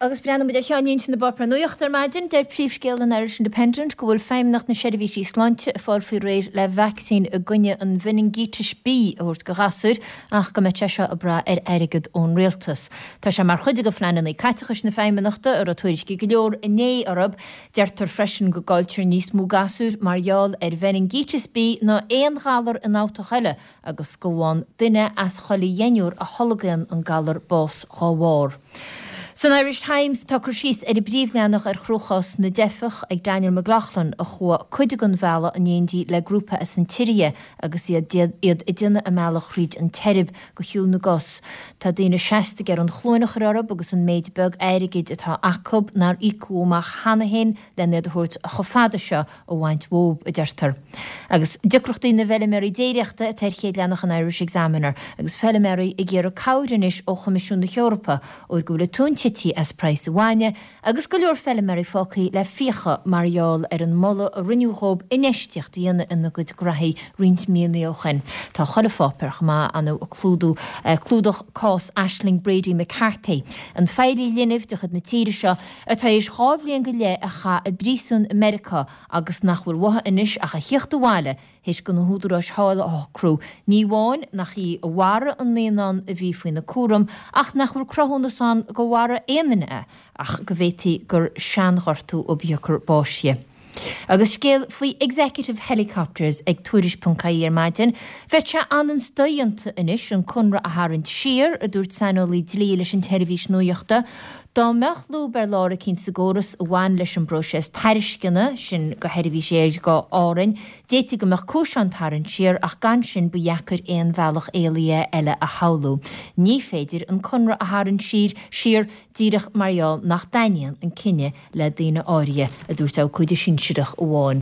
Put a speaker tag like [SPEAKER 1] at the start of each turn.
[SPEAKER 1] Agus breathnaíonn muid ar cheannlínte na bpáipéar nuachta ar maidin. Deir príomhscéal an Irish Independent go bhfuil Feidhmeannacht na Seirbhísí Sláinte ag fáil faoi réir le vacsaín i gcoinne an mheiningítis B a thabhairt do ghasúir ach go mbeidh sé seo ag brath ar airgead ón rialtas. Tá sé mar chuid de phleananna caiteachais na Feidhmeannachta a raibh tuairiscí go leor inné orthu. Deirtear freisin go gcailltear níos mó gasúir mar gheall ar mheiningíteas B ná aon ghalar ionfhabhtach eile agus go bhfaigheann duine as chuile dheichniúr a tholgaíonn an galar bás dhá bharr. San Irish Times tá cur síos ar an bpríomhleathanach ar chruachás na dteifeach ag Daniel McLaughlin a chuaigh cuid den bhealach in éindí le grúpa as an tSiria agus iad iad ag déanamh a mbealach thríd an tSeirbia go shiúl na gcos. Tá daoine seasta ag iarraidh an chluain a chur orthu agus an méid beag airgid atá acu nár íocadh amach cheana féin len iad a thabhairt chomh fada seo a bhaint uathu, a deirtear. Agus deacrachtaí na bhfeilméaraí déiríochta atá ar chéad leathanach an Irish Examiner, agus feilméaraí ag iarraidh cabhair anois ó Choimisiún na hEorpa, óir go bhfuil an tóin tite as praghas an bhainne, agus go leor feilméaraí fágtha le fiacha mar gheall ar an moladh a rinneadh dhóibh infheistíocht a dhéanamh ina gcuid graithí roinnt míonna ó shoin. Tá chuile pháipéar chomh maith ann ag clúdú clúdach cás Ashling Brady McCarthy, an feighlí linbh de chuid na tíre seo, atá théis 2 bhliain go leith a chaith i bpríosún i Meiriceá agus nach bhfuil uaithi anois ach a thíocht abhaile théis do na húdaráis thall a shocrú, ní amháin nach í a mharaigh an naíonán a bhí faoina cúram ach nach bhfuil cruthúnas ann gur mharaigh aon duine é ach go bhféadfaí gur seanghortú ab shiocair báis di. Agus scéal faoi Executive Helicopters ag Tuairisc.ie ar maidin, bheadh sé an-an-dodhéanta anois an conradh a tharraingt siar, a dúirt saineolaí dlí leis an tseirbhís nuachta. Dá mbeadh lúb ar lár eicínt sa gcóras a bhain leis an bpróiseas tairisceana sin do sheirbhís aeir go Árainn, d'fhéadfaí go mbeadh cúis ann tarraingt siar ach gan sin ba dheacair aon bhealach éalaithe eile a shamhlú. Ní féidir an conradh a tharraingt siar siar díreach mar gheall nach dtaitníonn an cinneadh le daoine áirithe, a dúirt abhcóide sinsearach amháin.